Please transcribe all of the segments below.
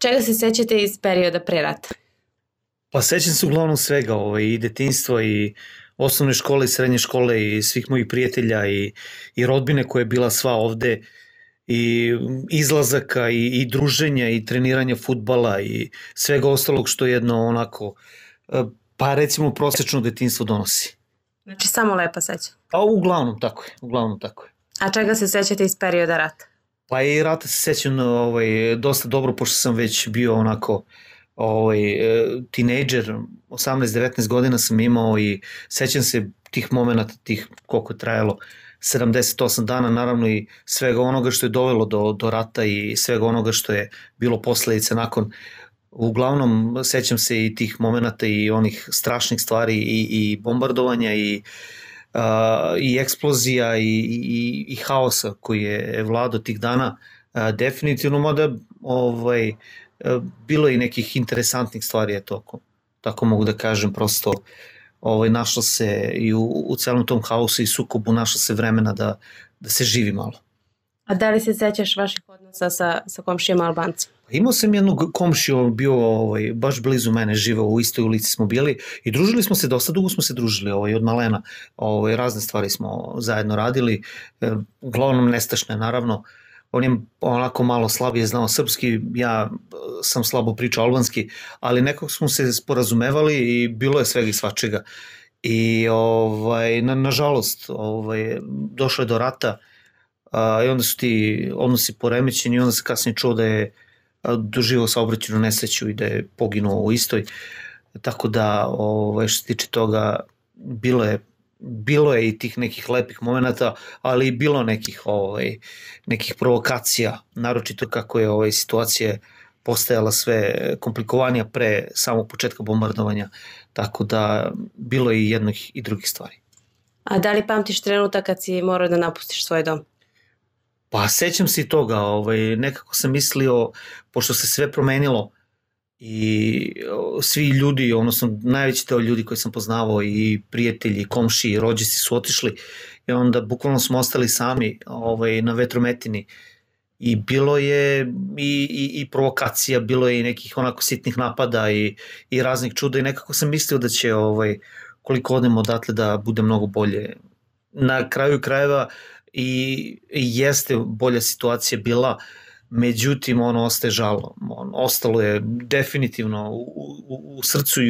Čega se sećate iz perioda pre rata? Pa sećam se uglavnom svega, i detinjstva i osnovne škole i srednje škole i svih mojih prijatelja i rodbine koja je bila sva ovde i izlazaka i druženja i treniranja fudbala i svega ostalog što jedno onako, pa recimo prosečno detinjstvo donosi. Znači samo lepa sećanja. A uglavnom tako je, uglavnom tako je. A čega se sećate iz perioda rata? Pa i rata se sećam dosta dobro, pošto sam već bio onako tinejdžer, 18-19 godina sam imao i sećam se tih momenata, tih koliko je trajalo, 78 dana, naravno i svega onoga što je dovelo do rata i svega onoga što je bilo posledice nakon. Uglavnom sećam se i tih momenata i onih strašnih stvari i bombardovanja i eksplozija i haosa koji je vladao tih dana, definitivno, mada bilo je i nekih interesantnih stvari, tako mogu da kažem, prosto našlo se i u celom tom haosu i sukobu našlo se vremena da se živi malo. A da li se sećaš vaših odnosa sa komšijama Albancima? Imao sam jednog komšiju, bio baš blizu mene, živeo u istoj ulici smo bili i družili smo se, dosta dugo smo se družili, od malena, razne stvari smo zajedno radili, uglavnom nestašne naravno. On je onako malo slabije znao srpski, ja sam slabo pričao albanski, ali nekako smo se sporazumevali i bilo je svega i svačega. I nažalost došlo je do rata i onda su ti odnosi poremećeni i onda se kasnije čuo da je doživao saobraćajnu nesreću i da je poginuo u istoj. Tako da što se tiče toga bilo je i tih nekih lepih momenata, ali i bilo nekih provokacija, naročito kako je situacija postajala sve komplikovanija pre samog početka bombardovanja, tako da bilo je i jednih i drugih stvari. A da li pamtiš trenutak kad si morao da napustiš svoj dom? Pa sećam se i toga, nekako sam mislio, pošto se sve promenilo, i svi ljudi, odnosno najveći deo ljudi koji sam poznavao i prijatelji, i komšiji, i rođaci su otišli i onda bukvalno smo ostali sami na vetrometini i bilo je i provokacija, bilo je i nekih onako sitnih napada i raznih čuda i nekako sam mislio da će koliko odemo odatle da bude mnogo bolje. Na kraju krajeva i jeste bolja situacija bila, međutim ono ostaje žalo, ostalo je definitivno u srcu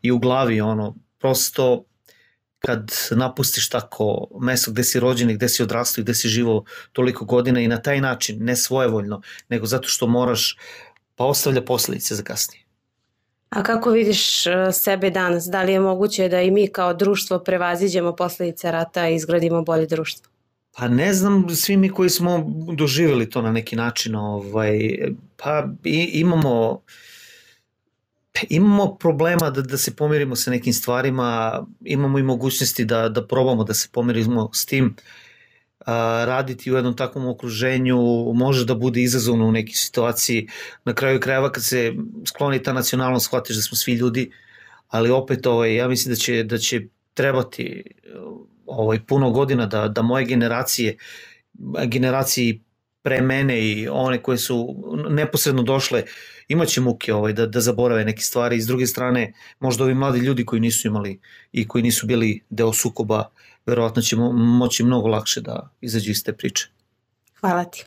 i u glavi, prosto kad napustiš tako mesto gde si rođen i gde si odrastao i gde si živao toliko godina i na taj način, ne svojevoljno, nego zato što moraš, pa ostavlja posledice za kasnije. A kako vidiš sebe danas? Da li je moguće da i mi kao društvo prevaziđemo posledice rata i izgradimo bolje društvo? Pa ne znam, svi mi koji smo doživjeli to na neki način, pa imamo problema da se pomirimo sa nekim stvarima, imamo i mogućnosti da probamo da se pomirimo s tim. Raditi u jednom takvom okruženju može da bude izazovno u nekoj situaciji. Na kraju krajeva kad se skloni ta nacionalnost, shvatiš da smo svi ljudi, ali opet ja mislim da će trebati puno godina da moje generacije pre mene i one koje su neposredno došle imaće muke da zaborave neke stvari. I s druge strane, možda ovi mladi ljudi koji nisu imali i koji nisu bili deo sukoba, verovatno će moći mnogo lakše da izađu iz te priče. Hvala ti.